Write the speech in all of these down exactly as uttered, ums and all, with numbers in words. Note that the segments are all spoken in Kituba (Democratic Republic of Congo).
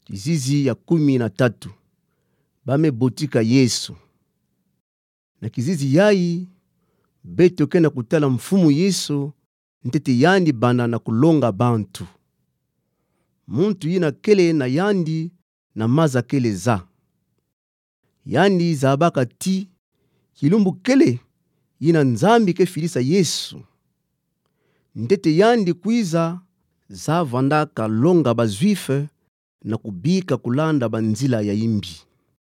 Kizizi ya kumi na tatu. Ba me botika Yesu. Na kizizi yayi, beto ke na kutala Mfumu Yesu, ntete yandi bana na kulonga bantu. Muntu yina kele na yandi na maza kele za. Yandi zabaka ti, kilumbu kele yina Nzambi ke filisa Yesu. Ntete yandi kwiza, za vandaka longa ba Juifs na kubika kulanda banzila ya imbi,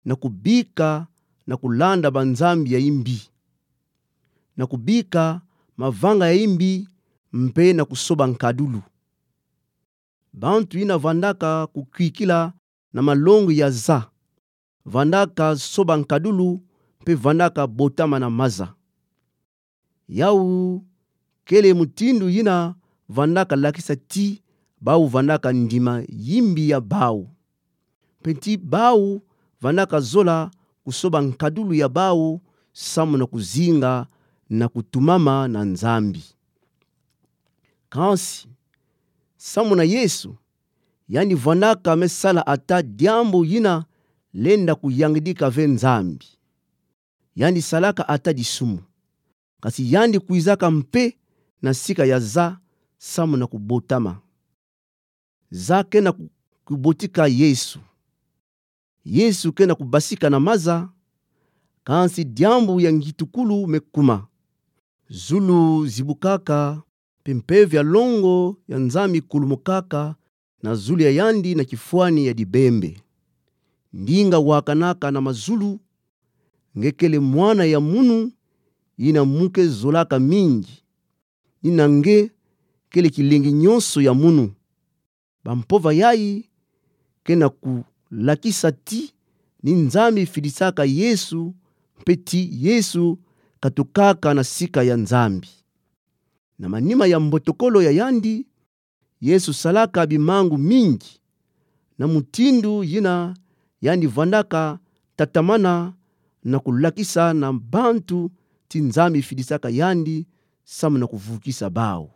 na kubika na kulanda banzambi ya imbi, na kubika mavanga ya imbi, mpe na kusoba nkadulu. Bantu yina vandaka kukwikila na malongi ya za, vandaka soba nkadulu, mpe vandaka botama na maza. Yau kele mutindu yina vandaka lakisa ti bau vandaka ndima yimbi ya bau, mpe ti bau vandaka zola kusoba nkadulu ya bau, samu na kuzinga na kutumama na Nzambi. Kansi, samu na Yesu, yandi vandaka me sala ata diambu yina lenda kuyangidika ve Nzambi. Yandi salaka ata disumu. Kansi yandi kwizaka mpe na sika ya za samu na kubotama. Za ke na ku-, kubotika Yesu. Yesu ke na kubasika na maza, kansi diambu ya ngitukulu me kuma. Zulu zibukaka, mpe mpeve ya longo ya Nzambi kulumukaka na zulu ya yandi na kifwani ya dibembe. Ndinga wakanaka na mazulu: Nge kele Mwana ya munu, yina mu ke zolaka mingi. Ni na nge kele kilengi nyonso ya munu. Bampova yayi ke na kulakisa ti ni Nzambi filisaka Yesu, mpe ti Yesu katukaka na sika ya Nzambi. Na manima ya mbotokolo ya yandi, Yesu salaka bimangu mingi, na mutindu yina yandi vandaka tatamana na kulakisa na bantu ti Nzambi filisaka yandi samu na kuvukisa bau.